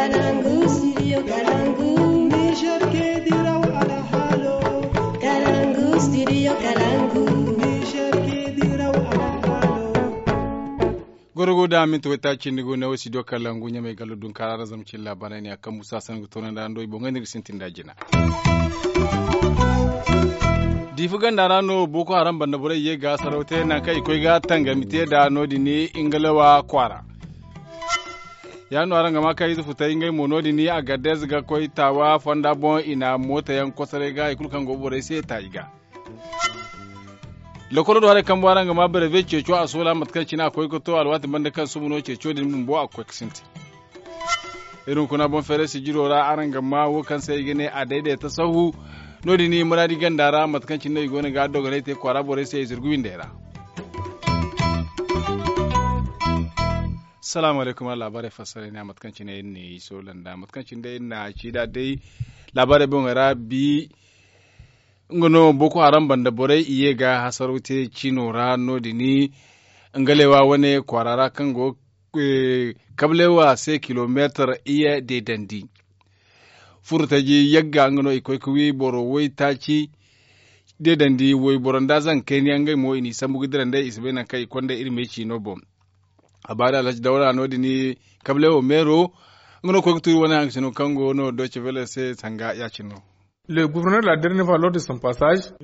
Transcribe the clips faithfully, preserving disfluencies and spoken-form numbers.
Kalangu, studio Kalangu. Niger ke diraw alhaalo. Kalangu, studio Kalangu. Niger ke diraw alhaalo. Gorogo da minti waytaaci cindi go ne wo studio Kalangu ɲamay gallo dunkaara ra zama cin laabaarey ne a kaŋ musa sanni ga toonandi araŋ do i boŋey no iri ga sintin da jina. Diifa ganda ra no boko haram banda borey ye ga saraw te nangu kaŋ i koy ga tangami te nd'a no- din ingalewa kwaara. Ya- din no araŋ ga maa kaŋ ize futay ngey mo no- din agadez ga koy taawa fonda boŋ i na mooto yaŋ kosoray ga hari kulu kaŋ go borey se ta i ga. Lokolo do haray kambo araŋ ga maa berewe ceeco a soola mate kaŋ cine a koy ga to alwaati banda kaŋ suba no ceeco din bumbo a ga koy ga sintin. Iri hunkuna boŋ feeray sijiro ra araŋ ga maa wo kaŋ se i ga ne a dayday tasahu. No- din muraadi ganda ra mate kaŋ cine no i go no ga dogonay te kwaara borey se i zirgu windey ra. Salaamu alaykum a laabaarey fassaray ne a mate kaŋ cine iri ne i soola nd'a mate kaŋ cine day iri na ci nd'a day. Laabaarey boŋey ra bi nga no boko haram banda borey i ye ga hasaraw te ciino ra no- din ngalewa wane kwaara ra kaŋ go kabalewa se kilomeetar iye deedandi. Furtaji yagga nga no i koy ga wi boro waytaaci deedandi wayboro nda zankayniyaŋ ngey mo i n'i sambu ga dira nd'ey i si bay nangu kaŋ i konda iri me ciino boŋ. A baari alhaji dawra no- din kabalewo meero nga no koy ga tuuri wane haŋ ga sino kaŋ go no doce vele se sanga ya- cine no.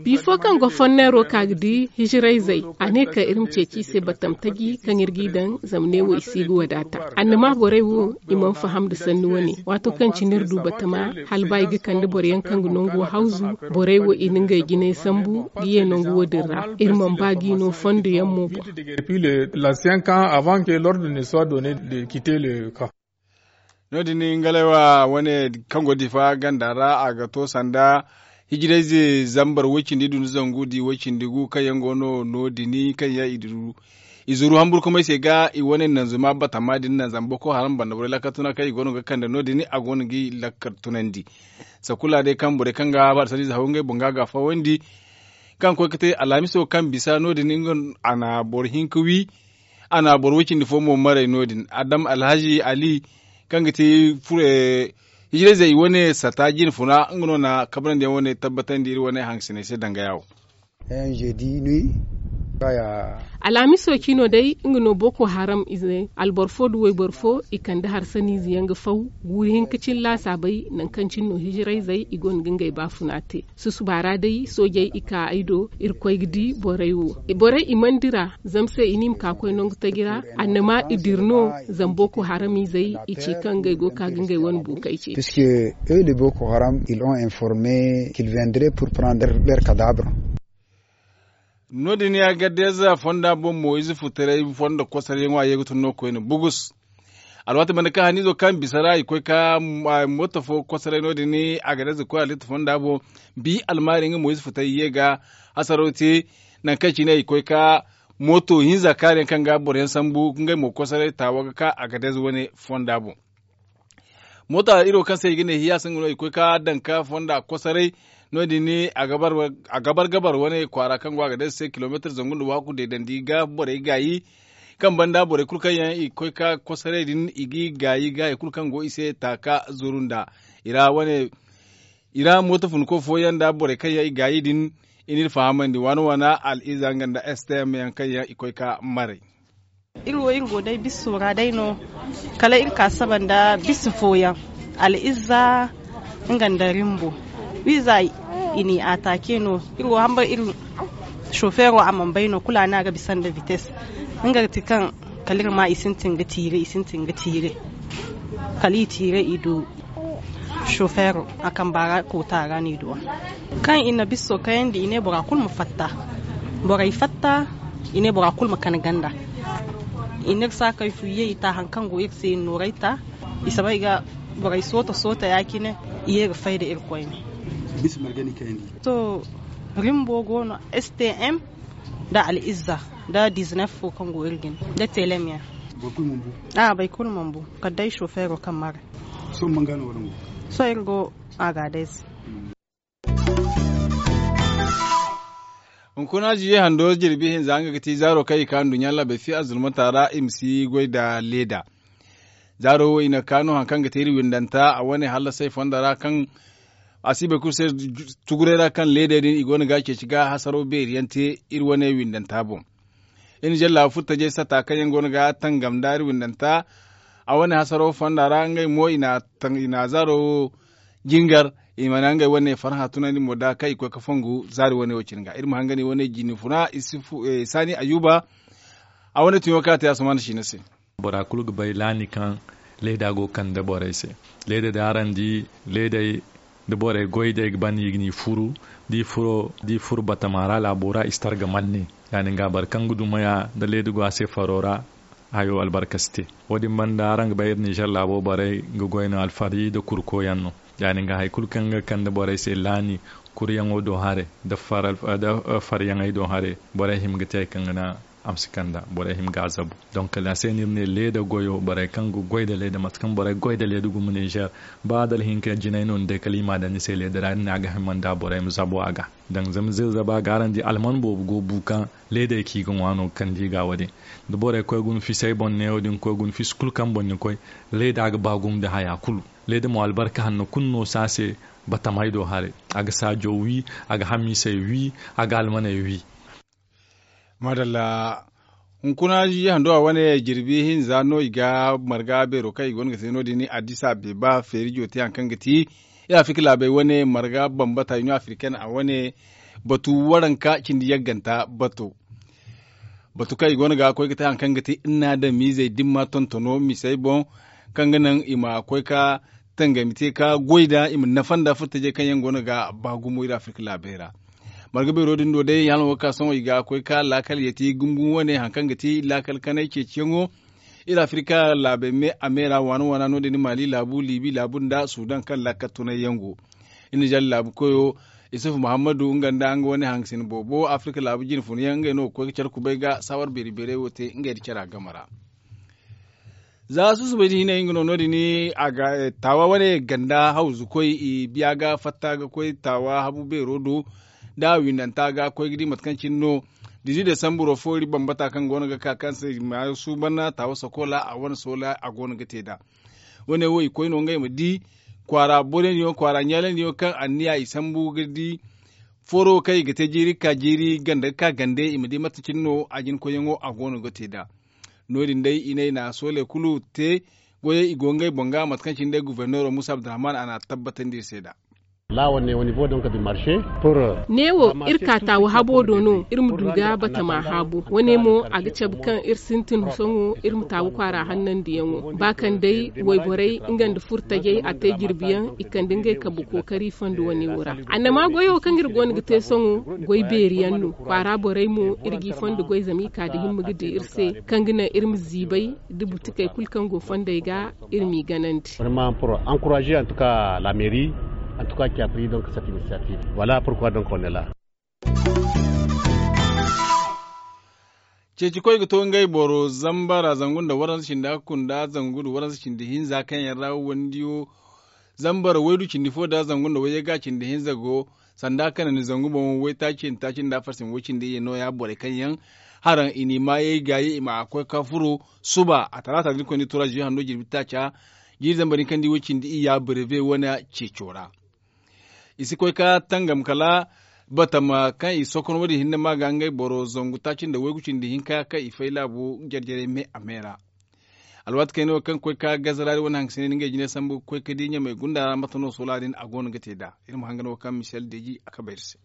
Bifo kaŋ go fonneero ka ga di hijirayzey a ne kaŋ iri ma ceeci i se batam taji kaŋ iri g'i daŋ zama neewo i si ga wadaata. Annama borey wo i mana faham nda sanni wane waato kaŋ cine iri du batama hala ba i ga kande boro yaŋ kaŋ ga nango hawzu. Borey wo i na ngey jinay sambu ga ye nangu wo- din ra. Iri mana ba g'i no fondo yaŋ mo boŋ. No- din ingalay wa wane kaŋ go difa ganda ra a ga to sanda hijirayze zambar way- cindi du nda zangu di way- cindi gu kaŋ yaŋ go no no- din kaŋ yaŋ i du i zuru hamburkumay se ga i wane nanzuma batama din naŋ zama boko haram banda borey lakkal tuna kaŋ i go no ga kande no- din a go no ga i lakkal tunandi. Sakula day kaŋ borey kaŋ ga harsarize haw ngey boŋ ga a ga fawandi kaŋ koy ga te alhamiso kaŋ bisa no- din a na boro hinka wi. A na boro way- cindi fo mo maray no- din adam alhazi ali kaŋ ga te hijirayzey i wane sata jine funa nga no na kabrandi yaŋ wane tabbatandi iri wane hangasiney se danga yaawo. Alhamiso cino day nga no boko haram ize alboro fo nda wayboro fo i kande harsaniize yaŋ ga faw guuri hinka cine laasaabey nangu kaŋ cine no hijirayzey i gonda ga ngey baafuna te. Susuba ra day soojey i ka ay do iri koy ga di borey wo. Borey i mana dira zama se i ne i ma ka koy nangu taji ra annama i dira no. Zama boko haram izey i ci kaŋ ngey go ga ka ga ngey wane buukey ce. Puisque eux les boko haram ils ont informé qu'ils viendraient pour prendre leur cadavre. No- din ya gadde za fonda boŋ mo ize futaray fondo kosoray yaŋo a ye ga tun no koyne bugus. Alwaati banda kaŋ haniizo kaŋ bisa ra i koy ka mooto fo kosoray no- din a ga day za koy halitta fonda boŋ. Bi almaari nga mo ize futay ye ga hasaraw te nangu kaŋ cine i koy ka mooto hinza kaari yaŋ kaŋ ga boro yaŋ sambu ngey mo kosoray taawa ga ka a ga day za wane fonda boŋ. Mooto iri wo kaŋ se i ga ne hiyaasa nga no i koy ka daŋ ka fonda kosoray. No- din a gabar gabar wane kwaara kaŋ go a ga day za se kilomeetar zangu nda waaku deedandi ga borey gaayi. Kaŋ banda borey kulu kaŋ yaŋ i ga koy ka kosoray din i g'i gaayi ga hari kulu kaŋ go i se taaka zuru nda i ra wane i ra mooto funko fooyaŋ nda borey kaŋ yaŋ i gaayi din. I n'iri fahamandi waana waana al'iza nga nda stm yaŋ kaŋ yaŋ i koy ka maray. Iri wo iri go day bisso ra day no. Kala iri ka saba nda bisa fooyaŋ al'izza nga nda rimbo wiiza i n'i atake no. Iri wo hamba iri shofeero a mana bay no kulu a ne a ga bisa nda vitesse. Nga ga ti kaŋ kala iri ma i sintin ga tiire i sintin ga tiire. Kala i tiire i du shofeero a kamba ra koota ra no i du a. Kaŋ i na bisso kayandi i ne bora kulu ma fatta. Borey fatta i ne bora kulu ma kani ganda. I n'iri saakey fu ye i ta hari kaŋ go iri se i na nooray ta. I soobay ga borey sooto sooto ya- cine i ye ga fay nda iri koyne. Sohõ rimbo go no stm nda al'izza nda dizinef fo kaŋ go iri jine nda telem yaŋ. A'a boro kulu mana bu kala day sofeero kaŋ mara. Sohõ iri go agadez. Hunkuna ziye hando jirbi hinza nga ga ti zaaro kaŋ i ka nduɲɲa laabey fi azulmata ra i ma si goy nda leeda. Zaaro wo i na ka no hari kaŋ ga te iri windanta a wane hallasay fonda ra kaŋ a si bay kulu se tuguray ra kaŋ leedey din i go no ga a ceeci ga hasaro beeri yaŋ te iri wane windanta boŋ. Iri na jallaabu furtajey sata kaŋ yaŋ go no ga tangam nda iri windanta a wane hasaro fonda ra ngey mo i na zaaro wo jingar i mana ngey wane farha tunandi mo da kaŋ i koy ga fongu zaari wane wo cine ga iri ma hangani wane jini funa. Saani ayuba a wane tuɲo kaŋ a te asuman siina se. Bora kulu ga bay laani kaŋ leeda go ga kande borey se. Leeda da araŋ di leedey da borey goy day ga ban i ga ni furu da i furo da i furo batama ra laabo ra i si tar ga manne. Ya- din ga boro kaŋ ga dumaya da leeda go a se faro ra hayo albarka si te. Wo- din banda araŋ ga bay iri ninzeer laabo borey ga goy no alfari nda kurko yaŋ no. Ya- din ga hari kulu kaŋ ga kande borey se laani kuryaŋo do haray nda faryaŋey do haray borey hima ga te hari kaŋ ga naŋ a ma si kand'a borey hima ga a zabu. Donk kala a se no iri ne leeda goyo borey kaŋ ga goy nda leeda mate kaŋ borey ga goy nda leeda gumo ninzeer ba adal hinka jinay no ni day kala i m'a daŋ ni se leeda ra iri ne a ga hima nda borey ma zabu a ga. Daŋ zama zirza ba ga araŋ di alman boobo go bu kaŋ leedey kaŋ i ga ŋwa no ga kande i ga wo- din. Da borey koy guna fisey boŋ neewo din koy guna fisi kulu kaŋ boŋ ni koy leeda ga ba gumo nda haya kulu. Leeda mo albarka hanno kulu no si a se batamey do haray. A ga saajo wi, a ga hamiisey wi, a ga almaney wi. Maadalla. Hunkuna ziize hando a wane jirbi hinza no i ga marga beero kaŋ i go no ga te no- din addis abeba feerijo te hari kaŋ ga ti iri afirka laabey wane marga bambata iniyo afirken a wane batu waranka cindi yagganta bato. Batu kaŋ i go no ga koy ga te hari kaŋ ga ti iri na adamiizey dimma tontono misey boŋ kaŋ ga naŋ i ma koy ga tangami te ga goy nd'a i ma nafa nd'a furtajey kaŋ yaŋ go no ga ba gumo iri afirka laabey ra. Marga beero din do day hala wo ga ka sohõ i ga koy ga laakal yeeti gumo gumo wane hari kaŋ ga ti laakal kanay ceeciyaŋo. Iri afirka laabey me a me ra waana waana no- din maali laabu liibi laabu nda sudan kaŋ laakal tunay yaŋ go. Iri na jalla laabu koyo isufu muhammadu nga nda nga wane hangasina boobo afirka laabu jine funa yaŋ ngey no ga koy ga care kubay ga saawar beeri beerey wo te ngey nda cara game ra. Za susubay da hinay nga no no- din a ga taawa wane ganda hawzu koy i biya ga fatta ga koy taawa habu beero do. Da a windanta ga koy ga di mate kaŋ cine no dizi desamburo fo iri bambata kaŋ go no ga ka kaŋ se i ma suuban taawa sakola a wane soola a go no ga te nd'a. Wane wo i koy no ngey ma di kwaara borey din yaŋ kwaara ɲaaley din yaŋ kaŋ anniya i sambu ga di foro kaŋ i ga te jiiri ga ka jiiri ganda ga ka gande i ma di mate cine no a jina koyyaŋo a go no ga te nd'a. No- din day i ne i na sooley kulu te goyey i go ngey boŋ ga mate kaŋ cine day guverneero muusa abdurahman a n'a tabbatandi iri se nd'a. Neewo iri ka taawu habo do no iri ma du ga batama haabu wane mo a ga cabe kaŋ iri sintin sohõ iri ma taawu kwaara hannandiyaŋo ba kaŋ day wayborey nga nda furtajey a te jirbi yaŋ i kande ngey kambe kookari fondo wane wo ra. Annama goyo kaŋ iri go no ga te sohõ goy beeri yaŋ no kwaara borey mo iri g'i fondo goy zama i ka nda himma ga di iri se kaŋ ga naŋ iri ma ziibay nda butikey kulu kaŋ go fondey ga iri m'i ganandi. Vraiment pour encourager en tout cas la mairie en tout cas qui a pris donc cette initiative. Voilà pourquoi donc on est là. Ceeci koy ga to ngey boro zambara zangu nda waranza cindi hakku nda zangu nda waranza cindi hinza kaŋ yaŋ ra wandiyo zambara waydu cindi fo nda zangu nda wayye ga cindi hinza go sanda kanandi zangu boŋ waytaaci nda taaci nda farsin way cindi iyye nooya borey kaŋ yaŋ haraŋ i n'i maayey gaayi i ma a koy ka furo suba a talaata din koyne tura ziyo hando jirbi taaca jiiri zambar din kaŋ di way cindi iyya breve wane ceeco ra. I si koy ka tangam kala batama kaŋ i sokon wo- din hinne ma ga ngey boro zangu taaci nda waygu cindi hinka kaŋ i fay laabu jare-jarey me a me ra. Alwaati kayna wo kaŋ koy ka gazaraari wane haŋ ga si ne ni ngey jine sambu ga koy ka di ɲamey gunda ra mate no soola din a go no ga te nd'a. Iri ma hangan wo kaŋ misel deeji a kabe iri se.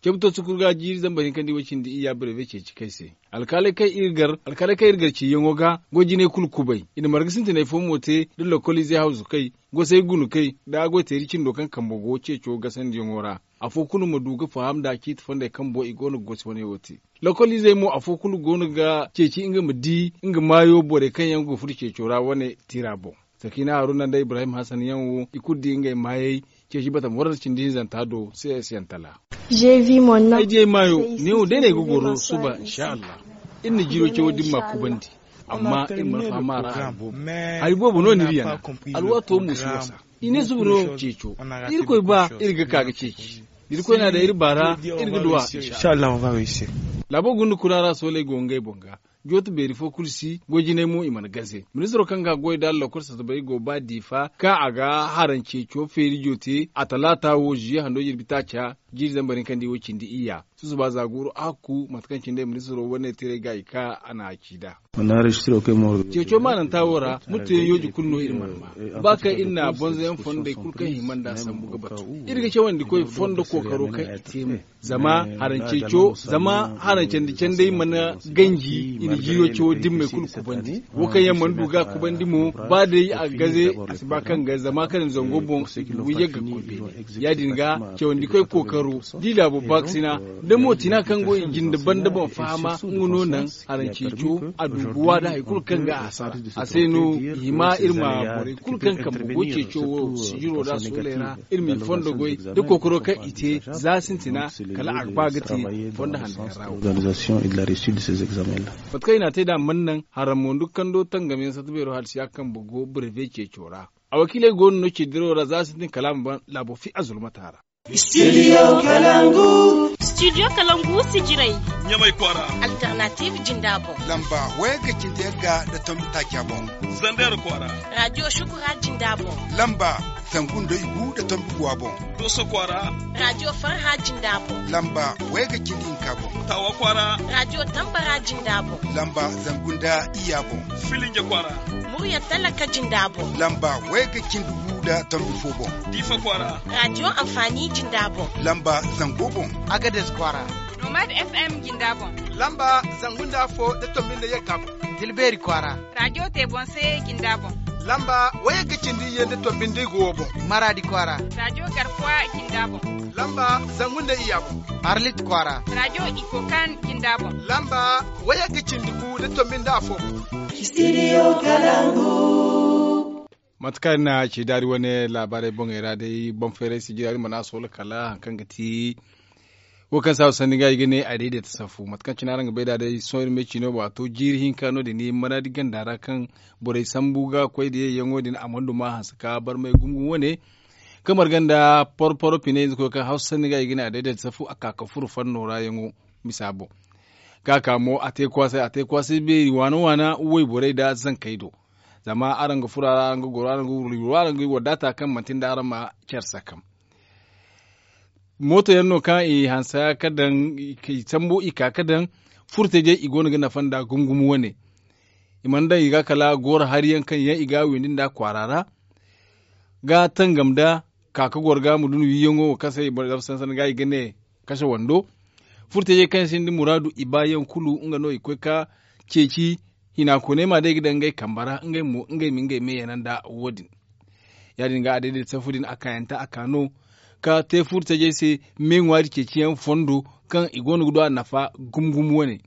Cabe to sukuru ga jiiri zambar hinka nda i way cindi iyya breve ceeci kay se. Alkaaley kaŋ iri gar ciiyaŋo ga goy jinay kulu kubay i na marga sintinay fo mo te nda lokoliizey hawzukey gosey gunukey nda goy teeri cindo kaŋ kambo go ceeco gasandiyaŋo ra. Afo kulu ma du ga faham nda ciiti fondey kaŋ boŋ i go no ga gosi wane wo te. Lokoliizey mo afo kulu go no ga ceeci nga ma di nga maayo borey kaŋ yaŋ go ga furo ceeco ra wane tiira boŋ. Sakiina haruna nda ibrahim hasan yaŋ wo i kulu di ngey maayey ceeci batama waranza cindi hinzanta do. Cs yaŋ tala. Ay di ay maayo neewo day no ay ga goro suba insa allah. Iri na jiiro cawo da iri ma kubandi. Amma iri mana faham a ra hari boobo. Hari boobo no no iri yana. Alwaato mo si wasa. I ne suba no ceeco. Irkoy ba iri ga ka ga ceeci. Da irkoy na daŋ iri baara iri ga duw'a. Insa allah. Laabo gunda kuna ra sooley go ngey boŋ ga. Jooto beeri fo kulu si goy jinay mo i mana gaze. Ministiro kaŋ ga goy nda lokol satabay go ba diifa kaŋ a ga haranceeco feerijo te a talaata wo ziye hando jirbi taaca jiiri zambar hinka nda i wo cindi iyya. Susuba za guuru a hakku mate kaŋ cine ministiro wane tiray ga i ka a na a ci nd'a. Ceeco maananta wo ra murteyaŋ yooji kulu no iri mana maa ba kaŋ iri na bonzoyaŋ fondey kulu kaŋ hima nd'a sambu ga batu. Iri ga cawandi koy fondo kookaro kaŋ i te mo zama harancandi canday mana ganji i na jiiro cawo dimmey kulu kubandi. Wo kaŋ yaŋ mana du ga kubandi mo ba day a ga gaze a si ba kaŋ ga zama kaŋ i na zango boŋ i ga wayye ga koy beene. Ya- din ga cawandi koy kookaro da i laabo baakasina da mootina kaŋ go i jinde banda boŋ fahama nga no naŋ haranceeco a du ga waada hari kulu kaŋ ga a sara. A se no i hima iri ma borey kulu kaŋ kambe go ceeco wo sijiro da sooley ra iri ma i fondo goy da kookaro kaŋ i te za sintina kala a ga ba ga te fondo hanno kaŋ ra wo. Mate kaŋ i na a te nd'a mana naŋ haram mo nda kando tangam yaŋ satta beero hala si ya kambe go breve ceeco ra. A wakiiley go no no ceediro ra za sintin kala a ma ban laabo fi a zulmata ra. Studio kalangu sijirey ɲamay kwaara. Alternative jinda boŋ lamba wayagga cindi yagga nda tombi taaca boŋ. Zander kwaara. Radio shukura jinda boŋ lamba zangu nda igu nda tombi guwa boŋ. Dooso kwaara. Radio farha jinda boŋ lamba wayagga cindi hinka boŋ. Tawa kwaara. Radio tambara jinda boŋ lamba zangu nda iyya boŋ. Filinja kwaara. Murya talaka jinda boŋ lamba wayagga cindi gu nda tombi fo boŋ. Diifa kwaara. Radio anfaani jinda boŋ lamba zango boŋ. Agades kwaara. Nomad fm jinda boŋ lamba zangu nda afo nda tombi nda yagga boŋ. Tilbeeri kwaara. Radio te boŋ se jinda boŋ lamba wayagga cindi iyye nda tombi nda igu wo boŋ. Maraadi kwaara. Radio garkuwa jinda boŋ lamba zangu nda iyya boŋ. Arlit kwaara. Radio ikokan jinda boŋ lamba wayagga cindi gu nda tombi nda afo boŋ. Mate kaŋ iri na ci daari wane laabaarey boŋey ra day boŋ feeray sijira iri mana soola kala hari kaŋ ga ti wo kaŋ saabu sanni ga i ga ne a daidaita safu mate kaŋ cine araŋ ga bay nd'a day sohõ iri ma ay ci no waato jiiri hinka no- din maraadi ganda ra kaŋ borey sambu ga koy da yayyaŋo din a mana duma hanse ka barmay gumo wane kaŋ marga nda porporo pinay ize koy kaŋ hawsa sanni ga i ga ne a daidaita safu a ka ka furo fanno ra yaŋo misa boŋ. Ga ka mo a te kwaasay a te kwaasay beeri waana waana wayborey nda zankey do. Zama araŋ ga furo a ra araŋ ga goro araŋ ga wuro araŋ ga wadaata kaŋ manti nda araŋ ma care sakam. Mooto yaŋ no kaŋ i hanse ka daŋ i sambu i ka ga daŋ furtajey i go no ga nafa nda gumo gumo wane. I mana daŋ i ga kala goro hari yaŋ kaŋ yaŋ i ga a windi nda kwaara ra ga tangam nda ka ga goro ga ma dun wiiyaŋo wo kaŋ se i boro zama sansan ga i ga ne kase wando. Furtajey kaŋ yaŋ sinda muraadu i baayaŋ kulu nga no i koy ga ceeci hinakooney ma day ga daŋ ngey kambe ra ngey mo ngey ma ngey me yana nda wo- din. Ya- din ga a dayday safu din a kaayanta a ka no ka te furtajey se me ŋwaari ceeciyaŋ fondo kaŋ i go no ga du a nafa gumo gumo wane.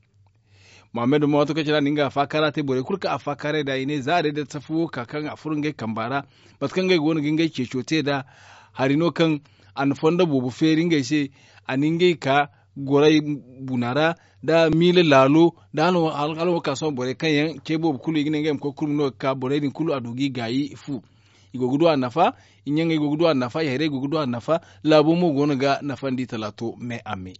Muhammad ma waato kaŋ cine a na nga afaakara te borey kulu kaŋ afaakaray nd'a i ne za a day da safu wo ka kaŋ a furo ngey kamba ra. Mate kaŋ ngey go no ga ngey ceeco te nd'a hari no kaŋ a na fondo boobo feeri ngey se. A na ngey ka goray buna ra nda miila laalo nda hala wo ka sohõ borey kaŋ yaŋ ce boobo kulu i ga ne ngey ma koy kurmi no ga ka borey din kulu a du ga i gaayi fu. I go ga du a nafa. I ɲaŋey go ga du a nafa i hayray go ga du a nafa. Laabo mo go no ga nafandi talaato me a me.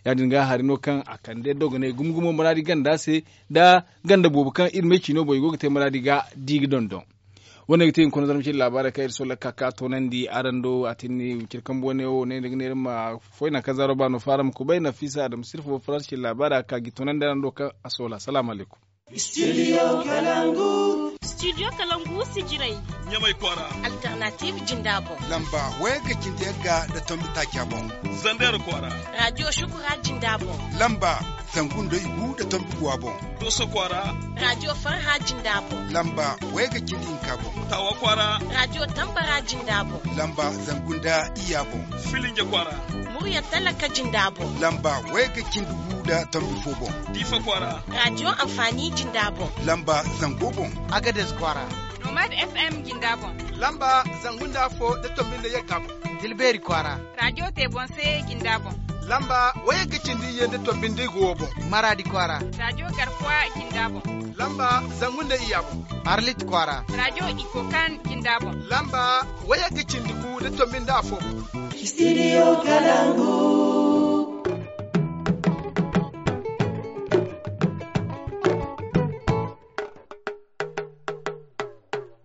Ya- din ga hari no kaŋ a kande dogonay gumo gumo muraadi ganda se nda ganda boobo kaŋ iri me ciino boŋ i go ga te muraadi ga di ga dondon. Wo- ne ga te hunkuna zarma cine laabaarey kaŋ iri solla ga ka ga toonandi araŋ do a tin ni wiciri kambe wane wo ne ni ga ne iri ma foy naŋ kaŋ zaaro ba no fo araŋ ma kubay nafiisa adama sirfo faransi cine laabaarey a ga ka ga i toonandi araŋ do kaŋ a soola salaamu alaykum. Studio kalangu sijirey ɲamay kwaara. Alternative jinda boŋ lamba wayagga cindi yagga nda tombi taaca boŋ. Zander kwaara. Radio shukura jinda boŋ lamba zangu nda igu nda tombi guwa boŋ. Dooso kwaara. Radio farha jinda boŋ lamba wayagga cindi hinka boŋ. Tawa kwaara. Radio tambara jinda boŋ lamba zangu nda iyya boŋ. Filinja kwaara. Murya talaka jinda boŋ lamba wayagga cindi gu nda tombi fo boŋ. Diifa kwaara. Radio anfaani jinda boŋ lamba zango boŋ. Agades kwaara. Nomad fm jinda boŋ lamba zangu nda afo nda tombi nda yagga boŋ. Tilbeeri kwaara. Radio te boŋ se jinda boŋ lamba wayagga cindi iyye nda tombi nda igu wo boŋ. Maraadi kwaara. Radio garkuwa jinda boŋ lamba zangu nda iyya boŋ. Arlit kwaara. Radio ikokan jinda boŋ lamba wayagga cindi gu nda tombi nda afo boŋ. Studio kalangu